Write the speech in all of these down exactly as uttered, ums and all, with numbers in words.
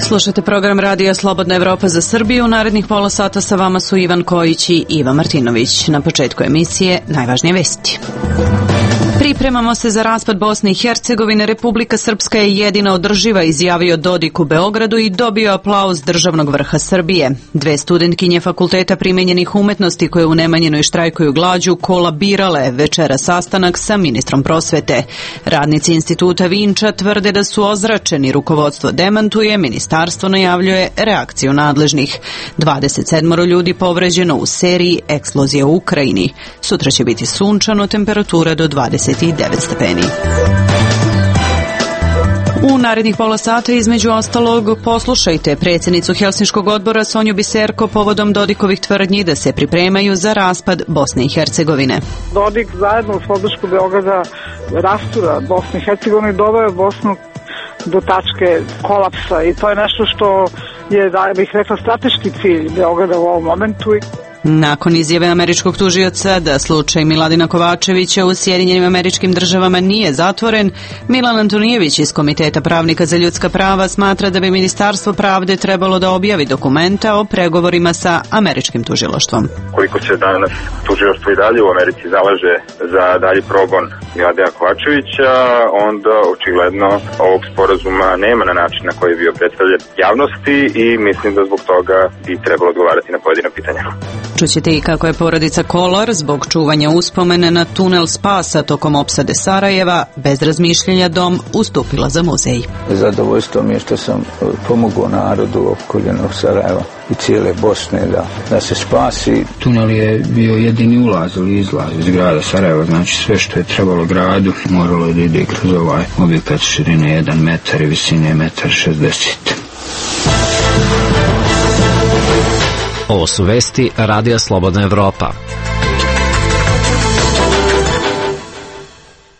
Slušate program Radija Slobodna Evropa za Srbiju. U narednih pola sata sa vama su Ivan Kojić i Iva Martinović. Na početku emisije najvažnije vesti. Pripremamo se za raspad Bosne i Hercegovine. Republika Srpska je jedina održiva, izjavio Dodik u Beogradu i dobio aplauz državnog vrha Srbije. Dve studentkinje Fakulteta primenjenih umetnosti koje u Nemanjinoj štrajkuju glađu kolabirale večera sastanak sa ministrom prosvete. Radnici instituta Vinča tvrde da su ozračeni, rukovodstvo demantuje, ministarstvo najavljuje reakciju nadležnih. dvadeset sedam ljudi povređeno u seriji eksplozija u Ukrajini. Sutra će biti sunčano, temperatura do dvadeset devet stepeni. U narednih pola sata između ostalog poslušajte predsjednicu Helsinškog odbora Sonju Biserko povodom Dodikovih tvrdnji da se pripremaju za raspad Bosne i Hercegovine. Dodik zajedno uz podršku Beograda rastura Bosne i Hercegovine doveo Bosnu do tačke kolapsa i to je nešto što je, da bih rekla, strateški cilj Beograda u ovom momentu. Nakon izjave američkog tužioca da slučaj Miladina Kovačevića u Sjedinjenim Američkim Državama nije zatvoren, Milan Antonijević iz Komiteta pravnika za ljudska prava smatra da bi Ministarstvo pravde trebalo da objavi dokumenta o pregovorima sa američkim tužilaštvom. Koliko se danas tužilaštvo i dalje u Americi zalaže za dalji progon Miladina Kovačevića, onda očigledno ovog sporazuma nema na način na koji je bio predstavljen javnosti i mislim da zbog toga bi trebalo odgovarati na pojedina pitanja. Čućete i kako je porodica Kolar zbog čuvanja uspomene na tunel spasa tokom opsade Sarajeva bez razmišljenja dom ustupila za muzej. Zadovoljstvo mi je što sam pomogao narodu opkoljenog Sarajeva i cijele Bosne da, da se spasi. Tunel je bio jedini ulaz ili izlaz iz grada Sarajeva, znači sve što je trebalo gradu moralo je da ide kroz ovaj objekat širine jedan metar i visine metar šezdeset. Ovo su vesti Radija Slobodna Evropa.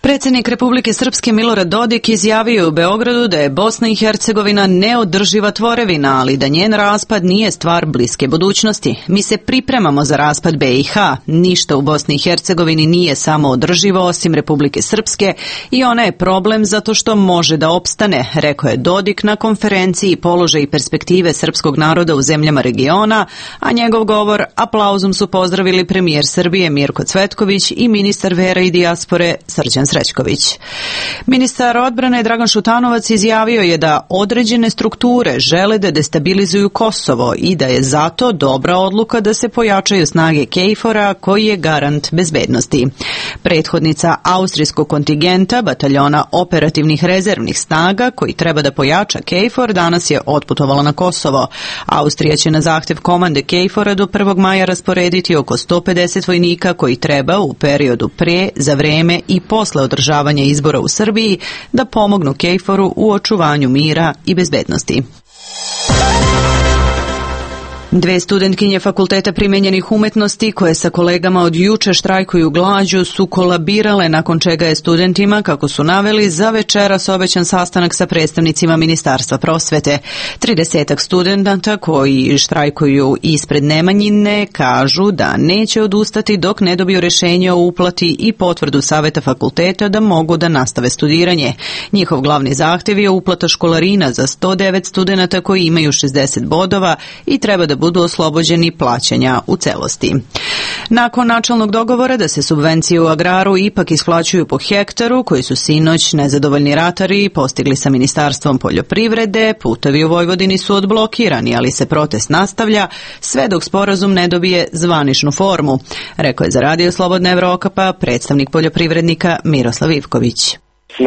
Predsjednik Republike Srpske Milorad Dodik izjavio u Beogradu da je Bosna i Hercegovina neodrživa tvorevina, ali da njen raspad nije stvar bliske budućnosti. Mi se pripremamo za raspad B i H. Ništa u Bosni i Hercegovini nije samo održivo osim Republike Srpske i ona je problem zato što može da opstane, rekao je Dodik na konferenciji Položaj i perspektive srpskog naroda u zemljama regiona, a njegov govor aplauzom su pozdravili premijer Srbije Mirko Cvetković i ministar vera i dijaspore Srđan Srećković. Ministar odbrane Dragan Šutanovac izjavio je da određene strukture žele da destabilizuju Kosovo i da je zato dobra odluka da se pojačaju snage KFOR-a koji je garant bezbednosti. Prethodnica austrijskog kontingenta bataljona operativnih rezervnih snaga koji treba da pojača KFOR danas je otputovala na Kosovo. Austrija će na zahtjev komande KFOR-a do prvog maja rasporediti oko sto pedeset vojnika koji treba u periodu pre, za vreme i posle održavanja izbora u Srbiji da pomognu KFOR-u u očuvanju mira i bezbednosti. Dve studentkinje Fakulteta primenjenih umetnosti koje sa kolegama od juče štrajkuju glađu su kolabirale nakon čega je studentima, kako su naveli, za večeras obećan sastanak sa predstavnicima Ministarstva prosvete. Tridesetak studenta koji štrajkuju ispred Nemanjine kažu da neće odustati dok ne dobiju rješenje o uplati i potvrdu Saveta fakulteta da mogu da nastave studiranje. Njihov glavni zahtjev je uplata školarina za sto devet studenta koji imaju šezdeset bodova i treba da budu oslobođeni plaćanja u celosti. Nakon načelnog dogovora da se subvencije u agraru ipak isplaćuju po hektaru, koji su sinoć nezadovoljni ratari postigli sa Ministarstvom poljoprivrede, putevi u Vojvodini su odblokirani, ali se protest nastavlja sve dok sporazum ne dobije zvaničnu formu, rekao je za Radio Slobodna Evropa predstavnik poljoprivrednika Miroslav Ivković.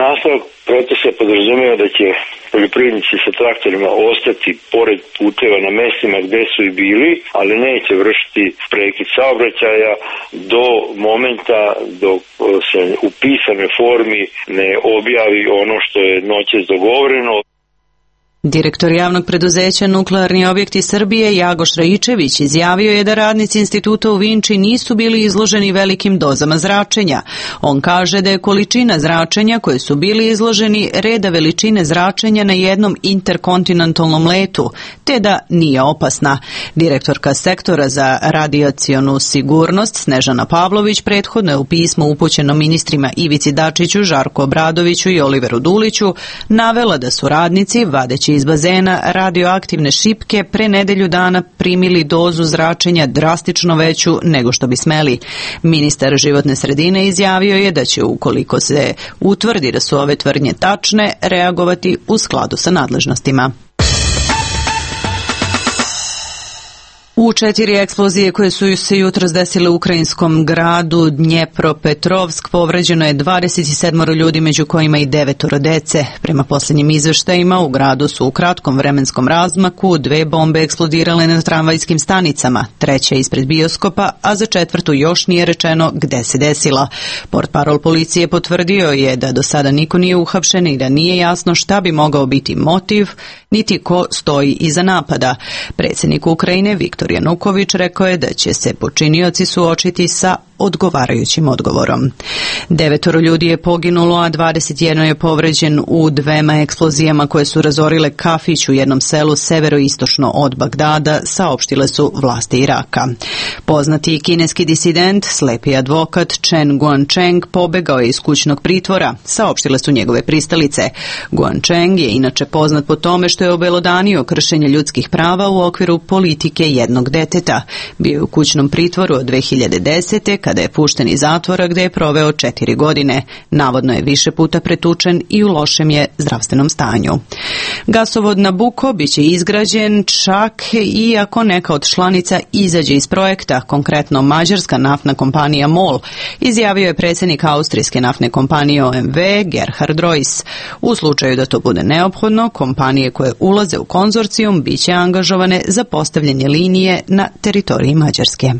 Nastavak protesta podrazumeva da će poljoprivrednici sa traktorima ostati pored puteva na mestima gde su i bili, ali neće vršiti prekid saobraćaja do momenta dok se u pisanoj formi ne objavi ono što je noćas dogovoreno. Direktor javnog preduzeća Nuklearni objekti Srbije Jagoš Rajičević izjavio je da radnici instituta u Vinči nisu bili izloženi velikim dozama zračenja. On kaže da je količina zračenja koje su bili izloženi reda veličine zračenja na jednom interkontinentalnom letu, te da nije opasna. Direktorka sektora za radijacionu sigurnost Snežana Pavlović prethodno je u pismu upućeno ministrima Ivici Dačiću, Žarku Obradoviću i Oliveru Duliću navela da su radnici, vadeći izlazeći iz bazena radioaktivne šipke pre nedelju dana primili dozu zračenja drastično veću nego što bi smeli. Ministar životne sredine izjavio je da će, ukoliko se utvrdi da su ove tvrdnje tačne, reagovati u skladu sa nadležnostima. U četiri eksplozije koje su se jutros desile u ukrajinskom gradu Dnjepropetrovsk povređeno je dvadeset sedam ljudi, među kojima i devetoro dece. Prema posljednjim izveštajima, u gradu su u kratkom vremenskom razmaku dve bombe eksplodirale na tramvajskim stanicama, treća ispred bioskopa, a za četvrtu još nije rečeno gde se desila. Portparol policije potvrdio je da do sada niko nije uhapšen i da nije jasno šta bi mogao biti motiv, niti ko stoji iza napada. Predsjednik Ukrajine Viktor Januković rekao je da će se počinioci suočiti sa odgovarajućim odgovorom. Devetoro ljudi je poginulo, a dvadeset jedan je povređen u dvema eksplozijama koje su razorile kafić u jednom selu severoistočno od Bagdada, saopštile su vlasti Iraka. Poznati kineski disident, slepi advokat Chen Guangcheng pobegao je iz kućnog pritvora, saopštile su njegove pristalice. Guangcheng je inače poznat po tome što je obelodanio kršenje ljudskih prava u okviru politike jednog deteta. Bio je u kućnom pritvoru od dve hiljade desete. kada je pušten iz zatvora gde je proveo četiri godine. Navodno je više puta pretučen i u lošem je zdravstvenom stanju. Gasovod Nabucco biće izgrađen čak i ako neka od članica izađe iz projekta, konkretno mađarska naftna kompanija MOL, izjavio je predsjednik austrijske naftne kompanije O M V Gerhard Reuss. U slučaju da to bude neophodno, kompanije koje ulaze u konzorcijum biće angažovane za postavljanje linije na teritoriji Mađarske.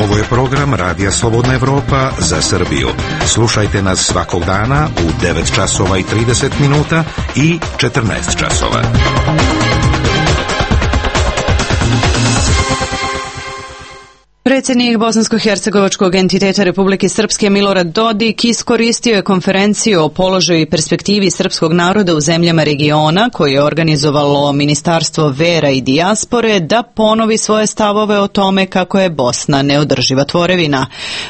Ovo je program Radija Slobodna Evropa za Srbiju. Slušajte nas svakog dana u devet časova i trideset minuta i četrnaest časova. Predsjednik bosansko-hercegovačkog entiteta Republike Srpske Milorad Dodik iskoristio je konferenciju o položaju i perspektivi srpskog naroda u zemljama regiona koje je organizovalo Ministarstvo vera i dijaspore da ponovi svoje stavove o tome kako je Bosna neodrživa tvorevina.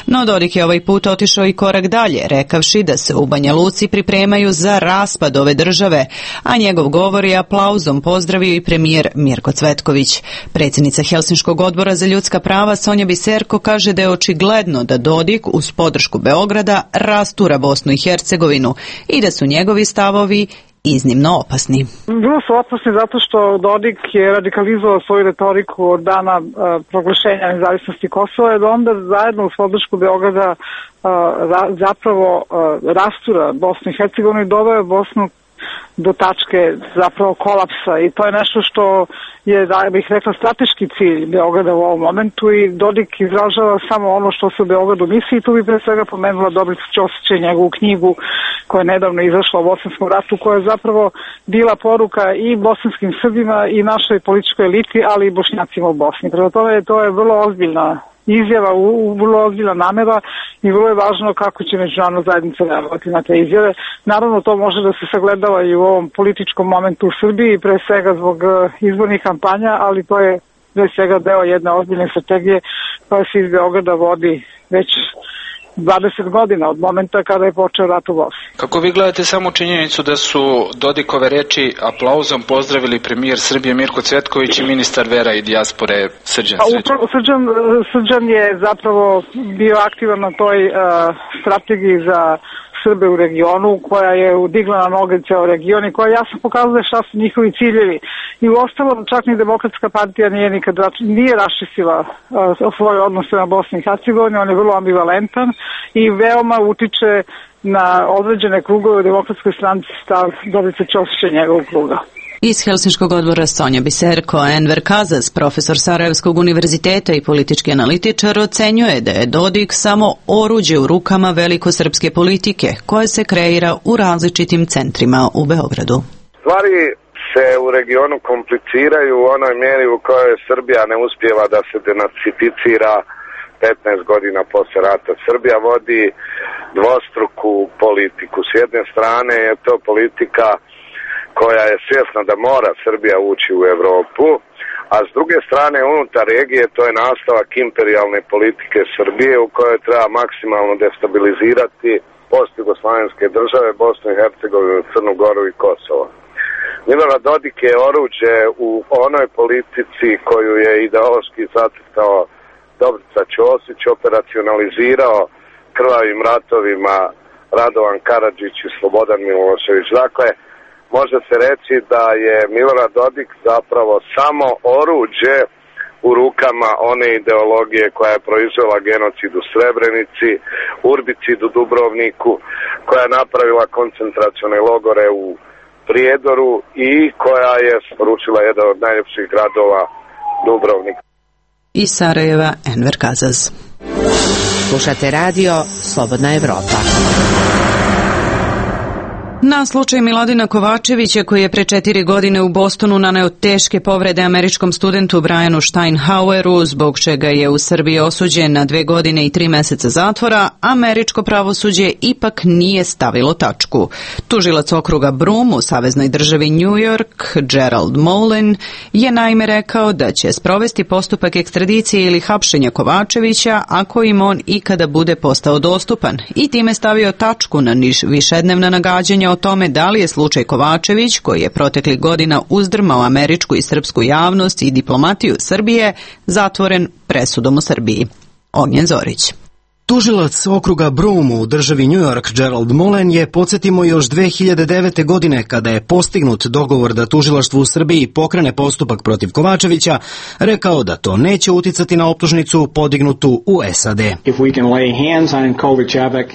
No Dodik je ovaj put otišao i korak dalje, rekavši da se u Banja Luci pripremaju za raspad ove države, a njegov govor je aplauzom pozdravio i premijer Mirko Cvetković. Predsjednica Helsinškog odbora za ljudska prava Sonja Biserko kaže da je očigledno da Dodik uz podršku Beograda rastura Bosnu i Hercegovinu i da su njegovi stavovi iznimno opasni. Bilo su opasni zato što Dodik je radikalizovao svoju retoriku od dana uh, proglašenja nezavisnosti Kosova i da onda zajedno uz podršku Beograda uh, ra, zapravo uh, rastura Bosnu i Hercegovinu i doveo Bosnu do tačke zapravo kolapsa i to je nešto što je, da bih rekla, strateški cilj Beograda u ovom momentu i Dodik izražava samo ono što se u Beogradu misli i tu bi pre svega pomenula Dobrica Ćosića i njegovu knjigu koja je nedavno izašla o Bosanskom ratu, koja je zapravo bila poruka i bosanskim Srbima i našoj političkoj eliti, ali i Bošnjacima u Bosni. Prema tome to je vrlo ozbiljna izjava, u, vrlo ozbiljna namera i vrlo je važno kako će međunarodna zajednica reagovati na te izjave. Naravno to može da se sagledava i u ovom političkom momentu u Srbiji, pre svega zbog izbornih kampanja, ali to je pre svega deo jedne ozbiljne strategije koja se iz Beograda vodi već dvadeset godina od momenta kada je počeo rat u Bosni. Kako vi gledate samo činjenicu da su Dodikove reči aplauzom pozdravili premijer Srbije Mirko Cvetković i ministar vera i dijaspore Srđan Srećko? Srđan, Srđan je zapravo bio aktivan na toj uh, strategiji za Srbe u regionu, koja je udigla na noge ceo region i koja jasno pokazuje šta su njihovi ciljevi. I u ostalom čak ni Demokratska partija nije nikad nije raščistila uh, svoje odnose na Bosni i Hercegovini, on je vrlo ambivalentan i veoma utiče na određene krugove u Demokratskoj stranci stav Dobrice Ćosića i njegovog kruga. Iz Helsinškog odbora Sonja Biserko, Enver Kazas, profesor Sarajevskog univerziteta i politički analitičar, ocenjuje da je Dodik samo oruđe u rukama velikosrpske politike koje se kreira u različitim centrima u Beogradu. Stvari se u regionu kompliciraju u onoj mjeri u kojoj Srbija ne uspijeva da se denacificira petnaest godina posle rata. Srbija vodi dvostruku politiku. S jedne strane je to politika koja je svjesna da mora Srbija ući u Evropu, a s druge strane unutar regije to je nastavak imperijalne politike Srbije u kojoj treba maksimalno destabilizirati postjugoslavenske države, Bosnu i Hercegovinu, Crnu Goru i Kosovo. Milorad Dodik je oruđe u onoj politici koju je ideološki zacrtao Dobrica Ćosić, operacionalizirao krvavim ratovima Radovan Karadžić i Slobodan Milošević. Dakle, može se reći da je Milorad Dodik zapravo samo oruđe u rukama one ideologije koja je proizvela genocid u Srebrenici, urbicid u Dubrovniku, koja je napravila koncentracione logore u Prijedoru i koja je poručila jedan od najljepših gradova, Dubrovnik. Iz Sarajeva, Enver Kazaz. Slušate radio Slobodna Evropa. Na slučaj Miladina Kovačevića, koji je pre četiri godine u Bostonu naneo teške povrede američkom studentu Brianu Steinhaueru, zbog čega je u Srbiji osuđen na dve godine i tri meseca zatvora, američko pravosuđe ipak nije stavilo tačku. Tužilac okruga Brum u saveznoj državi New York, Gerald Molen, je naime rekao da će sprovesti postupak ekstradicije ili hapšenja Kovačevića ako im on ikada bude postao dostupan, i time stavio tačku na višednevna nagađanja o tome da li je slučaj Kovačević, koji je proteklih godina uzdrmao američku i srpsku javnost i diplomatiju Srbije, zatvoren presudom u Srbiji. Ognjen Zorić. Tužilac okruga Brum u državi New York Gerald Molen je, podsjetimo, još dve hiljade devete. godine, kada je postignut dogovor da tužilaštvo u Srbiji pokrene postupak protiv Kovačevića, rekao da to neće uticati na optužnicu podignutu u S A D.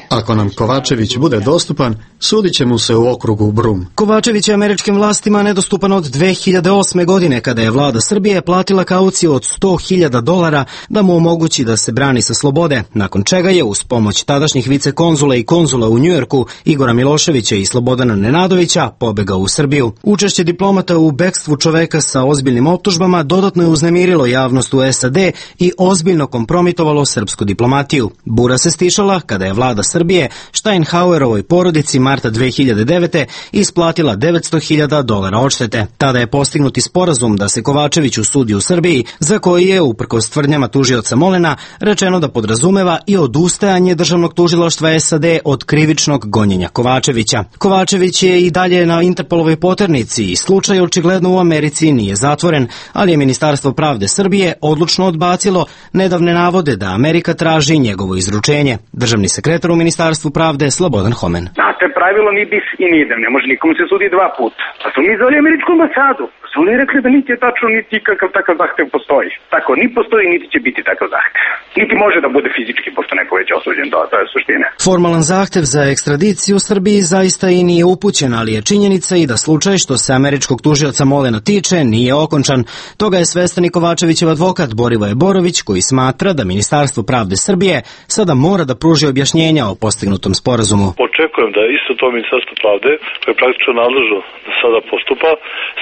Ako nam Kovačević bude dostupan, sudit će mu se u okrugu Brum. Kovačević je američkim vlastima nedostupan od dve hiljade osme. godine, kada je vlada Srbije platila kauciju od sto hiljada dolara da mu omogući da se brani sa slobode, nakon čega ga je uz pomoć tadašnjih vicekonzula i konzula u Njujorku Igora Miloševića i Slobodana Nenadovića pobegao u Srbiju. Učešće diplomata u bekstvu čoveka sa ozbiljnim optužbama dodatno je uznemirilo javnost u S A D i ozbiljno kompromitovalo srpsku diplomatiju. Bura se stišala kada je vlada Srbije Steinhauerovoj porodici marta dve hiljade devete. isplatila devetsto hiljada dolara odštete. Tada je postignuti sporazum da se Kovačević usudi u Srbiji, za koji je, uprkos tvrdnjama tužioca Molena, rečeno da podrazumeva i odustajanje državnog tužilaštva S A D od krivičnog gonjenja Kovačevića. Kovačević je i dalje na Interpolovoj poternici i slučaj očigledno u Americi nije zatvoren, ali je Ministarstvo pravde Srbije odlučno odbacilo nedavne navode da Amerika traži njegovo izručenje. Državni sekretar u Ministarstvu pravde Slobodan Homen. Znate, pravilo ni bis i ni idem, ne može nikom se sudi dva puta. Pa su mi zvali američku ambasadu. Su oni rekli da niti je tačno, niti kakav takav zahtev postoji. Tako, ni postoji, niti će biti takav zahtev. Niti može da bude fizički, pošto neko već osuđen, to, to je suština. Formalan zahtev za ekstradiciju u Srbiji zaista i nije upućen, ali je činjenica i da slučaj što se američkog tužioca Molena tiče nije okončan. Toga je svestan i Kovačevićev advokat Borivoje Borović, koji smatra da Ministarstvo pravde Srbije sada mora da pruži objašnjenja o postignutom sporazumu. Očekujem da isto to Ministarstvo pravde, koje je praktično nadležno da sada postupa,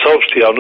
saopšti javnosti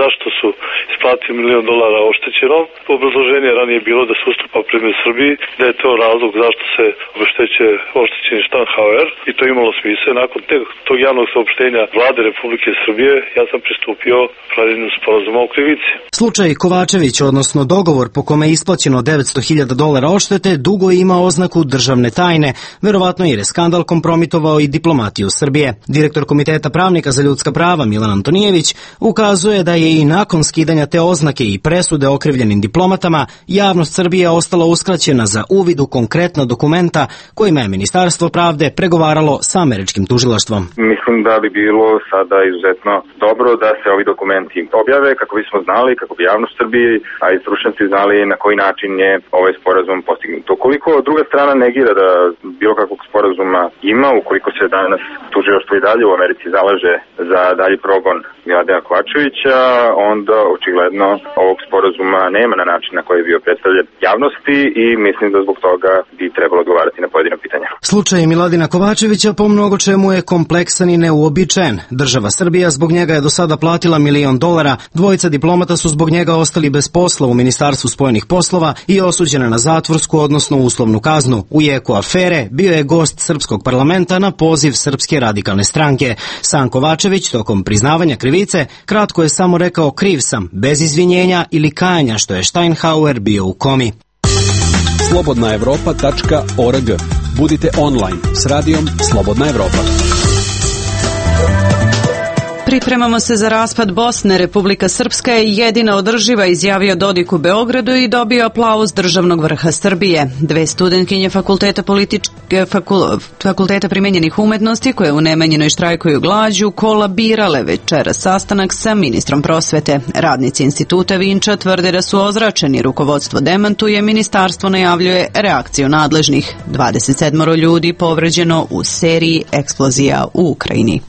zašto su isplatili milion dolara oštećeno. Obrazloženje ranije bilo da se ustupa prema Srbiji, da je to razlog zašto se obeštećuje oštećeni Steinhauer, i to imalo smisla. Nakon tog javnog saopštenja vlade Republike Srbije ja sam pristupio pravljenju sporazuma o krivici. Slučaj Kovačević, odnosno dogovor po kome je isplaćeno devetsto hiljada dolara odštete, dugo ima oznaku državne tajne, verovatno jer je skandal kompromitovao i diplomatiju Srbije. Direktor Komiteta pravnika za ljudska prava Milan Antonijević ukazuje da je i nakon skidanja te oznake i presude okrivljenim diplomatama, javnost Srbije ostala uskraćena za uvid u konkretna dokumenta kojima je Ministarstvo pravde pregovaralo sa američkim tužilaštvom. Mislim da bi bilo sada izuzetno dobro da se ovi dokumenti objave kako bismo znali, kako bi javnost Srbije, a i stručnjaci znali na koji način je ovaj sporazum postignut. Ukoliko druga strana negira da bilo kakvog sporazuma ima, ukoliko se danas tužilaštvo i dalje u Americi zalaže za dalji progon Miladina Kovačevića, onda očigledno ovog sporazuma nema na način na koji je bio predstavljen javnosti i mislim da zbog toga bi trebalo odgovarati na pojedina pitanja. Slučaj Miladina Kovačevića po mnogo čemu je kompleksan i neuobičajen. Država Srbija zbog njega je do sada platila milion dolara, dvojica diplomata su zbog njega ostali bez posla u Ministarstvu spojenih poslova i osuđena na zatvorsku, odnosno uslovnu kaznu. U jeku afere bio je gost srpskog parlamenta na poziv Srpske radikalne stranke. Sam Kovačević tokom priznavanja krivice kratko je samo rekao kriv sam, bez izvinjenja ili kajanja što je Steinhauer bio u komi. slobodna evropa tačka org Budite online s radijom Slobodna Evropa. Pripremamo se za raspad Bosne. Republika Srpska je jedina održiva, izjavio Dodik u Beogradu i dobio aplauz državnog vrha Srbije. Dve studentkinje fakulteta, političke, fakul, fakulteta primenjenih umetnosti koje u Nemanjinoj štrajkuju glađu kolabirale večeras sastanak sa ministrom prosvete. Radnici instituta Vinča tvrde da su ozračeni, rukovodstvo demantuje, ministarstvo najavljuje reakciju nadležnih. dvadeset sedam ljudi povređeno u seriji eksplozija u Ukrajini.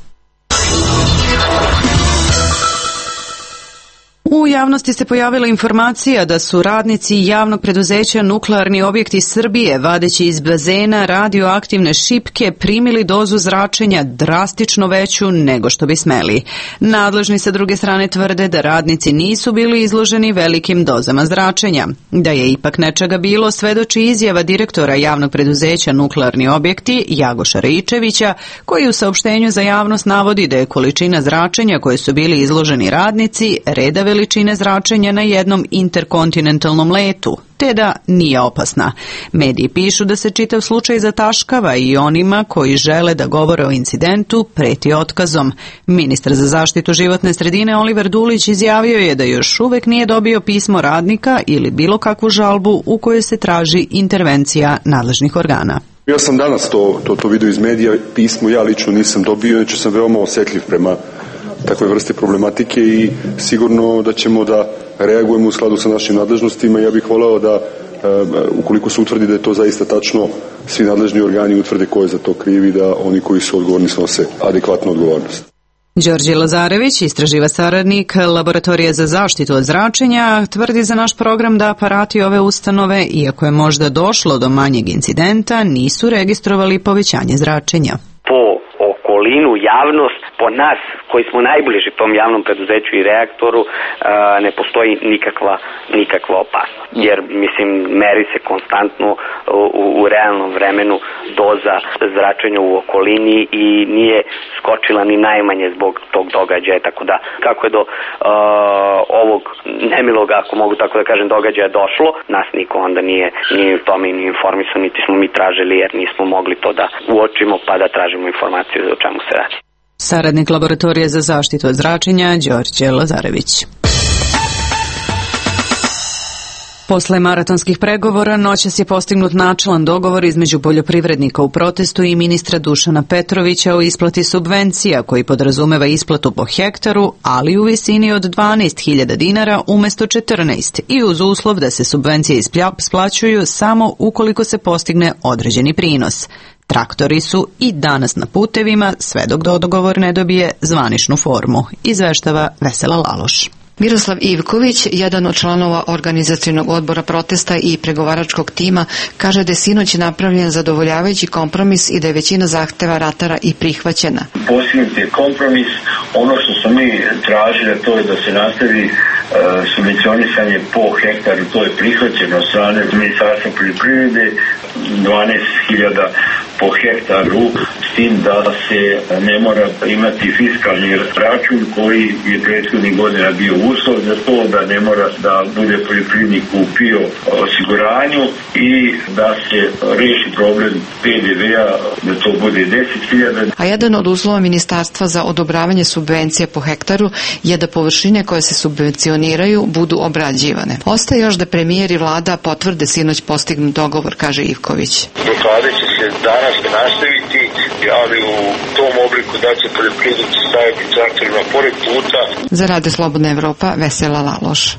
U javnosti se pojavila informacija da su radnici javnog preduzeća Nuklearni objekti Srbije, vadeći iz bazena radioaktivne šipke, primili dozu zračenja drastično veću nego što bi smeli. Nadležni sa druge strane tvrde da radnici nisu bili izloženi velikim dozama zračenja. Da je ipak nečega bilo, svedoči izjava direktora javnog preduzeća Nuklearni objekti Jagoša Raičevića, koji u saopštenju za javnost navodi da je količina zračenja koje su bili izloženi radnici reda veličine zračenja na jednom interkontinentalnom letu, te da nije opasna. Mediji pišu da se čitav slučaj zataškava i onima koji žele da govore o incidentu preti otkazom. Ministar za zaštitu životne sredine Oliver Dulić izjavio je da još uvek nije dobio pismo radnika ili bilo kakvu žalbu u kojoj se traži intervencija nadležnih organa. Ja sam danas to, to, to vidio iz medija, pismo ja lično nisam dobio, znači sam veoma osjetljiv prema takve vrste problematike i sigurno da ćemo da reagujemo u skladu sa našim nadležnostima. Ja bih voleo da, ukoliko se utvrdi da je to zaista tačno, svi nadležni organi utvrde ko je za to krivi, da oni koji su odgovorni snose adekvatnu odgovornost. Đorđe Lazarević, istraživa saradnik Laboratorije za zaštitu od zračenja, tvrdi za naš program da aparati ove ustanove, iako je možda došlo do manjeg incidenta, nisu registrovali povećanje zračenja. Po okolinu, javnost, po nas koji smo najbliži tom javnom preduzeću i reaktoru, ne postoji nikakva, nikakva opasnost. Jer, mislim, meri se konstantno u, u realnom vremenu doza zračenja u okolini i nije skočila ni najmanje zbog tog događaja. Tako da, kako je do uh, ovog nemilog, ako mogu tako da kažem, događaja došlo, nas niko onda nije, nije u tome ni informisan, niti smo mi tražili, jer nismo mogli to da uočimo pa da tražimo informaciju o čemu se radi. Saradnik Laboratorije za zaštitu od zračenja Đorđe Lazarević. Posle maratonskih pregovora noćas je postignut načelan dogovor između poljoprivrednika u protestu i ministra Dušana Petrovića o isplati subvencija, koji podrazumeva isplatu po hektaru, ali u visini od dvanaest hiljada dinara umesto četrnaest i uz uslov da se subvencije isplaćuju samo ukoliko se postigne određeni prinos. Traktori su i danas na putevima, sve dok dogovor ne dobije zvaničnu formu, izveštava Vesela Laloš. Miroslav Ivković, jedan od članova organizacionog odbora protesta i pregovaračkog tima, kaže da je sinoć napravljen zadovoljavajući kompromis i da je većina zahteva ratara i prihvaćena. Postignut je kompromis, ono što smo mi tražili, to je da se nastavi uh, subvencionisanje po hektaru, to je prihvaćeno od strane Ministarstva poljoprivrede, dvanaest hiljada po hektaru, s tim da se ne mora imati fiskalni račun koji je prethodnih godina bio uslov za to, da ne mora da bude poljoprivrednik u P I O osiguranju i da se reši problem P D V-a, da to bude deset hiljada. A jedan od uslova Ministarstva za odobravanje subvencija po hektaru je da površine koje se subvencioniraju budu obrađivane. Ostaje još da premijer i vlada potvrde sinoć postignut dogovor, kaže Ivković. Blokade će se danas nastaviti, ali u tom obliku da će poljoprivrednici staviti traktorima pored puta. Za Radio Slobodna Evropa, Vesela Laloš.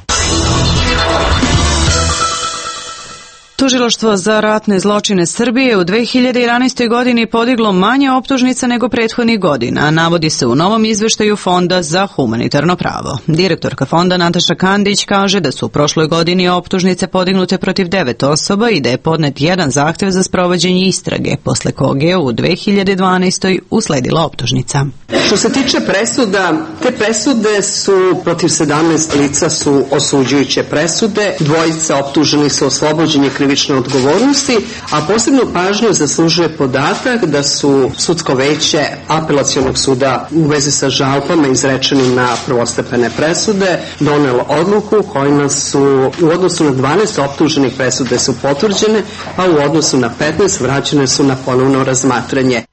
Tužilaštvo za ratne zločine Srbije u dve hiljade jedanaestoj. godini podiglo manje optužnica nego prethodnih godina, navodi se u novom izveštaju Fonda za humanitarno pravo. Direktorka fonda Nataša Kandić kaže da su u prošloj godini optužnice podignute protiv devet osoba i da je podnet jedan zahtev za sprovođenje istrage, posle kog je u dve hiljade dvanaestoj. usledila optužnica. Što se tiče presuda, te presude su protiv sedamnaest lica su osuđujuće presude, dvojica optuženih su oslobođenje krivičnog krivične odgovornosti, a posebno pažnju zaslužuje podatak da su sudsko veće Apelacionog suda u vezi sa žalbama izrečenim na prvostepene presude donelo odluku kojima su u odnosu na dvanaest optuženih presude su potvrđene, a u odnosu na petnaest vraćene su na ponovno razmatranje.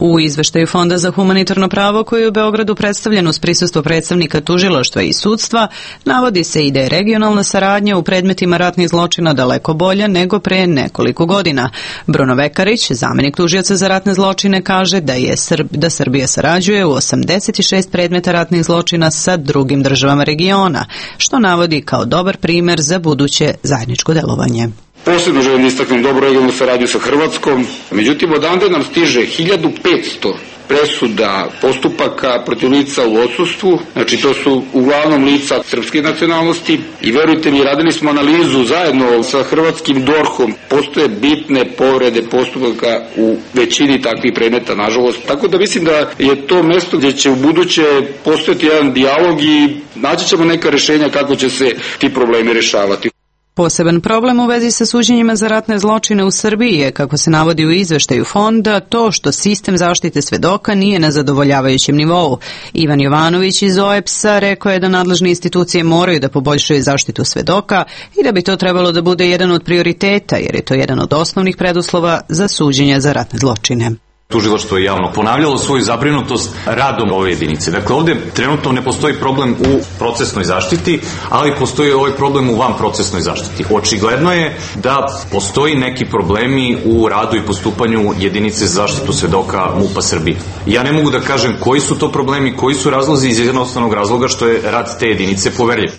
U izveštaju Fonda za humanitarno pravo koji je u Beogradu predstavljen uz prisustvo predstavnika tužilaštva i sudstva, navodi se i da je regionalna saradnja u predmetima ratnih zločina daleko bolja nego pre nekoliko godina. Bruno Vekarić, zamenik tužioca za ratne zločine, kaže da je Srb, da Srbija sarađuje u osamdeset šest predmeta ratnih zločina sa drugim državama regiona, što navodi kao dobar primer za buduće zajedničko delovanje. Posebno želim da istaknem dobru regionalnu saradnju sa Hrvatskom, međutim odande nam stiže hiljadu petsto presuda postupaka protiv lica u odsustvu, znači to su uglavnom lica srpske nacionalnosti i verujte mi, radili smo analizu zajedno sa hrvatskim dorhom, postoje bitne povrede postupaka u većini takvih predmeta, nažalost. Tako da mislim da je to mesto gdje će u buduće postojati jedan dijalog i naći ćemo neka rešenja kako će se ti problemi rešavati. Poseban problem u vezi sa suđenjima za ratne zločine u Srbiji je, kako se navodi u izveštaju Fonda, to što sistem zaštite svedoka nije na zadovoljavajućem nivou. Ivan Jovanović iz O E P S-a rekao je da nadležne institucije moraju da poboljšaju zaštitu svedoka i da bi to trebalo da bude jedan od prioriteta, jer je to jedan od osnovnih preduslova za suđenje za ratne zločine. Tužilaštvo je javno ponavljalo svoju zabrinutost radom ove jedinice. Dakle, ovde trenutno ne postoji problem u procesnoj zaštiti, ali postoji ovaj problem u vanprocesnoj zaštiti. Očigledno je da postoji neki problemi u radu i postupanju jedinice za zaštitu svedoka M U P-a Srbije. Ja ne mogu da kažem koji su to problemi, koji su razlozi iz jednostavnog razloga što je rad te jedinice poverljiv.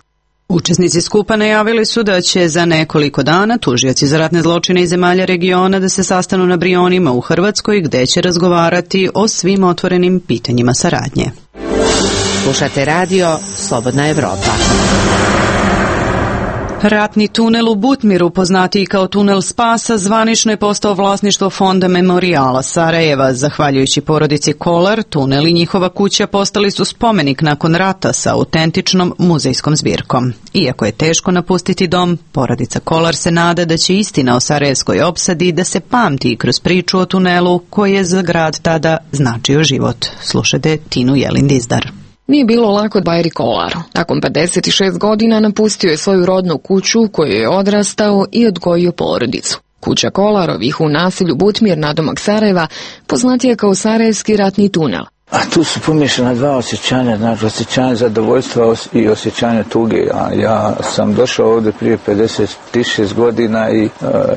Učesnici skupa najavili su da će za nekoliko dana tužioci za ratne zločine iz zemalja regiona da se sastanu na Brionima u Hrvatskoj, gde će razgovarati o svim otvorenim pitanjima saradnje. Slušate radio Slobodna Evropa. Ratni tunel u Butmiru, poznatiji kao tunel spasa, zvanično je postao vlasništvo Fonda Memorijala Sarajeva. Zahvaljujući porodici Kolar, tunel i njihova kuća postali su spomenik nakon rata sa autentičnom muzejskom zbirkom. Iako je teško napustiti dom, porodica Kolar se nada da će istina o sarajevskoj opsadi da se pamti kroz priču o tunelu koji je za grad tada značio život. Slušajte Tinu Jelin Dizdar. Nije bilo lako Bajri Kolaru. Nakon pedeset šest godina napustio je svoju rodnu kuću u kojoj je odrastao i odgojio porodicu. Kuća Kolarovih u naselju Butmir nadomak Sarajeva poznatija kao Sarajevski ratni tunel. A tu su pomiješana dva osjećanja, znači osjećanje zadovoljstva i osjećanje tuge. A ja sam došao ovdje prije pedeset šest godina i e,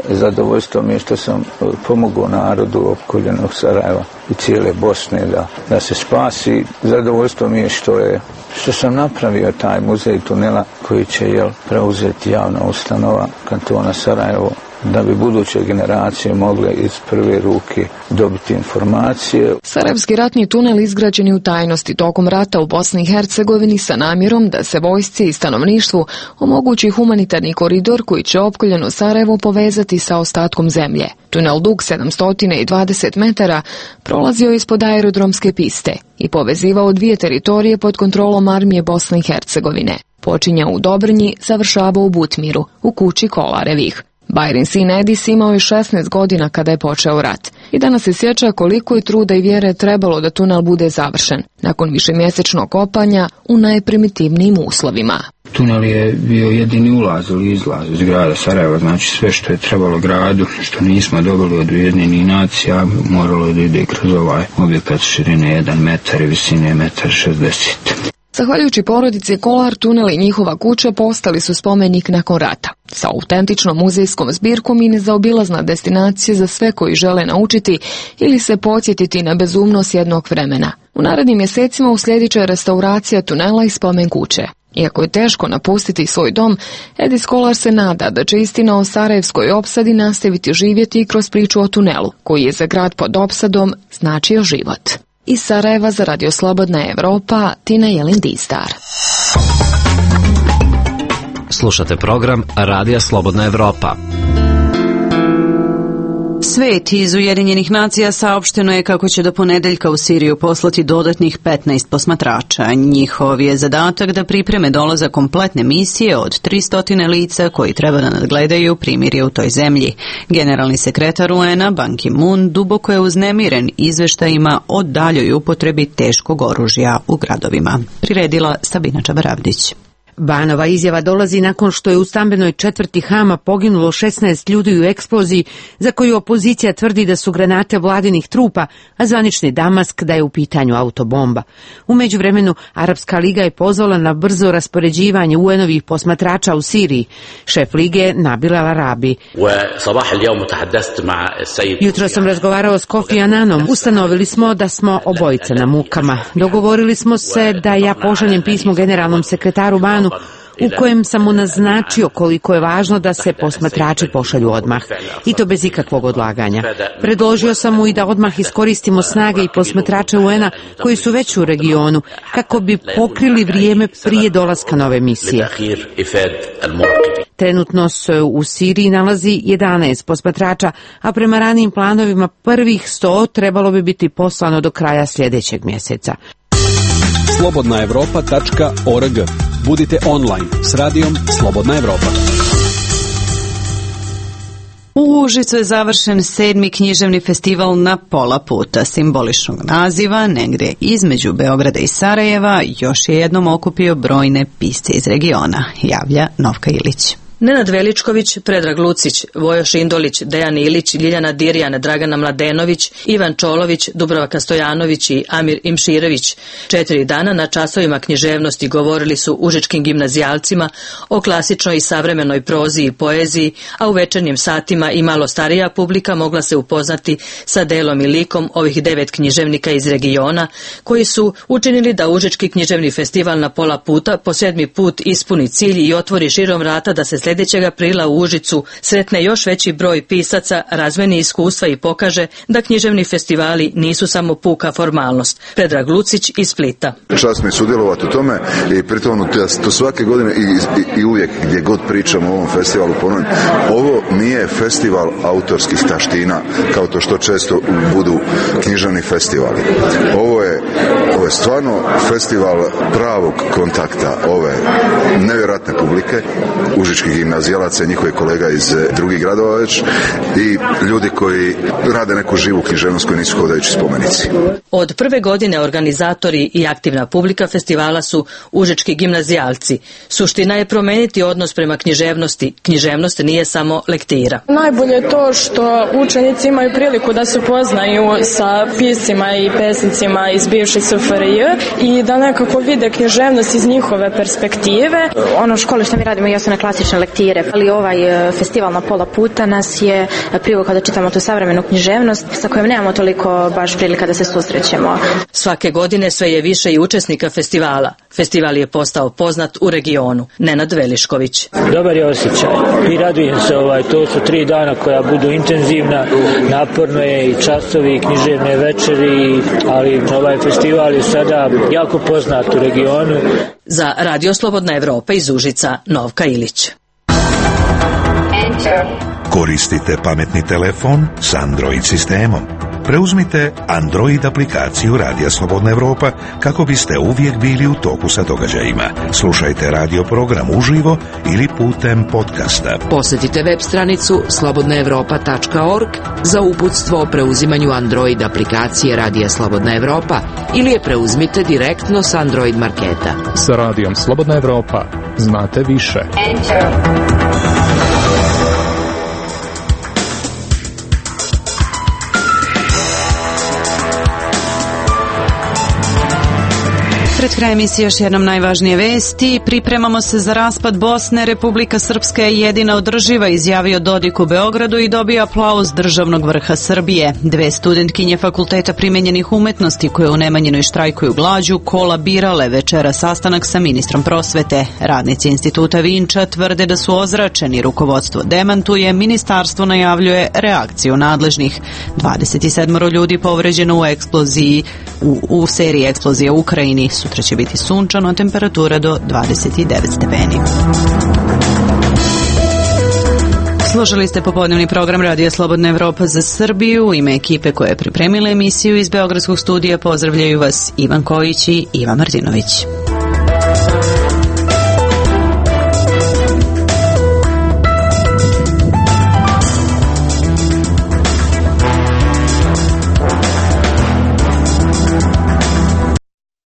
zadovoljstvo mi je što sam pomogao narodu opkoljenog Sarajeva i cijele Bosne da, da se spasi. Zadovoljstvo mi je što je što sam napravio taj muzej tunela koji će jel, preuzeti javna ustanova kantona Sarajevo, da bi buduće generacije mogle iz prve ruke dobiti informacije. Sarajevski ratni tunel izgrađen je u tajnosti tokom rata u Bosni i Hercegovini sa namjerom da se vojsci i stanovništvu omogući humanitarni koridor koji će opkoljeno Sarajevo povezati sa ostatkom zemlje. Tunel dug sedamsto dvadeset metara prolazio ispod aerodromske piste i povezivao dvije teritorije pod kontrolom armije Bosne i Hercegovine. Počinjao u Dobrnji, završavao u Butmiru, u kući Kolarevih. Bajrin sin Edis imao je šesnaest godina kada je počeo rat i danas se sjeća koliko je truda i vjere trebalo da tunel bude završen, nakon višemjesečnog kopanja u najprimitivnijim uslovima. Tunel je bio jedini ulaz ili izlaz iz grada Sarajeva, znači sve što je trebalo gradu, što nismo dobili od Ujedinjenih nacija, moralo je da ide kroz ovaj objekat širine jedan metar i visine metar šezdeset. Zahvaljujući porodici Kolar, tunel i njihova kuća postali su spomenik nakon rata. Sa autentičnom muzejskom zbirkom i nezaobilazna destinacija za sve koji žele naučiti ili se podsjetiti na bezumnost jednog vremena. U narednim mjesecima uslijedit će restauracija tunela i spomen kuće. Iako je teško napustiti svoj dom, Edis Kolar se nada da će istina o sarajevskoj opsadi nastaviti živjeti i kroz priču o tunelu, koji je za grad pod opsadom značio život. Iz Sarajeva za Radio Slobodna Evropa, Tina Jelin Dizdar. Slušate program Radija Slobodna Evropa. Svet iz Ujedinjenih nacija saopšteno je kako će do ponedeljka u Siriju poslati dodatnih petnaest posmatrača. Njihov je zadatak da pripreme dolazak kompletne misije od tristo lica koji treba da nadgledaju primirje u toj zemlji. Generalni sekretar U N-a Ban Ki-moon duboko je uznemiren izveštajima o daljoj upotrebi teškog oružja u gradovima. Priredila Sabina Čabaravdić. Banova izjava dolazi nakon što je u stambenoj četvrti Hama poginulo šesnaest ljudi u eksploziji za koju opozicija tvrdi da su granate vladinih trupa, a zvanični Damask da je u pitanju autobomba. U međuvremenu, Arapska liga je pozvala na brzo raspoređivanje U N-ovih posmatrača u Siriji. Šef lige Nabil Al-Arabi. Jutro sam razgovarao s Kofi Annanom. Ustanovili smo da smo obojica na mukama. Dogovorili smo se da ja pošaljem pismo generalnom sekretaru Banu u kojem sam mu naznačio koliko je važno da se posmatrači pošalju odmah, i to bez ikakvog odlaganja. Predložio sam mu i da odmah iskoristimo snage i posmatrače U N-a koji su već u regionu, kako bi pokrili vrijeme prije dolaska nove misije. Trenutno se u Siriji nalazi jedanaest posmatrača, a prema ranijim planovima prvih sto trebalo bi biti poslano do kraja sljedećeg mjeseca. slobodna evropa tačka org. Budite online s radijom Slobodna Evropa. U Užicu je završen sedmi književni festival na pola puta. Simboličnog naziva, negdje između Beograda i Sarajeva, još je jednom okupio brojne pisce iz regiona, javlja Novka Ilić. Nenad Veličković, Predrag Lucić, Vojoš Indolić, Dejan Ilić, Ljiljana Dirjan, Dragana Mladenović, Ivan Čolović, Dubravka Stojanović i Amir Imširević. Četiri dana na časovima književnosti govorili su užičkim gimnazijalcima o klasičnoj i savremenoj prozi i poeziji, a u večernjim satima i malo starija publika mogla se upoznati sa delom i likom ovih devet književnika iz regiona, koji su učinili da Užički književni festival na pola puta po sedmi put ispuni cilj i otvori širom vrata da se sljedećeg aprila u Užicu sretne još veći broj pisaca, razmeni iskustva i pokaže da književni festivali nisu samo puka formalnost. Predrag Lucić iz Splita. Čast mi je sudjelovati u tome i pritom to svake godine i, i, i uvijek gdje god pričamo o ovom festivalu ponovim. Ovo nije festival autorskih taština kao to što često budu književni festivali. Ovo je, ovo je stvarno festival pravog kontakta ove nevjerojatne publike, užičkih gimnazijalaca i njihovih kolega iz drugih gradova već i ljudi koji rade neku živu književnost koji nisu hodajući spomenici. Od prve godine organizatori i aktivna publika festivala su užički gimnazijalci. Suština je promeniti odnos prema književnosti. Književnost nije samo lektira. Najbolje je to što učenici imaju priliku da se poznaju sa piscima i pesnicima iz bivše S F R J i da nekako vide književnost iz njihove perspektive. Ono u školi što mi radimo jesu na klasične lektire, ali ovaj festival na pola puta nas je privukao da čitamo tu savremenu književnost sa kojom nemamo toliko baš prilika da se susrećemo. Svake godine sve je više i učesnika festivala. Festival je postao poznat u regionu. Nenad Velišković. Dobar je osjećaj i radujem se, ovaj, to su tri dana koja budu intenzivna, naporno je i časovi i književne večeri, ali ovaj festival je sada jako poznat u regionu. Za Radio Slobodna Evropa iz Užica, Novka Ilić. Koristite pametni telefon s Android sistemom. Preuzmite Android aplikaciju Radija Slobodna Evropa kako biste uvijek bili u toku sa događajima. Slušajte radio program uživo ili putem podcasta. Posjetite web stranicu slobodna evropa tačka org za uputstvo o preuzimanju Android aplikacije Radija Slobodna Evropa ili je preuzmite direktno s Android marketa. Sa Radijom Slobodna Evropa znate više. Enter. Pred kraj emisije još jednom najvažnije vesti. Pripremamo se za raspad Bosne. Republika Srpska je jedina održiva, izjavio Dodik u Beogradu i dobio aplauz državnog vrha Srbije. Dve studentkinje Fakulteta primenjenih umetnosti koje u Nemanjinoj štrajkuju glađu kolabirale večera sastanak sa ministrom prosvete. Radnici instituta Vinča tvrde da su ozračeni, rukovodstvo demantuje, ministarstvo najavljuje reakciju nadležnih. dvadeset sedam ljudi povređeno u eksploziji u, u seriji eksplozije u Ukrajini. Sutra će biti sunčano, a temperatura do dvadeset devet stepeni. Slušali ste popodnevni program Radija Slobodna Evropa za Srbiju. U ime ekipe koja je pripremila emisiju iz Beogradskog studija pozdravljaju vas Ivan Kojić i Ivan Martinović.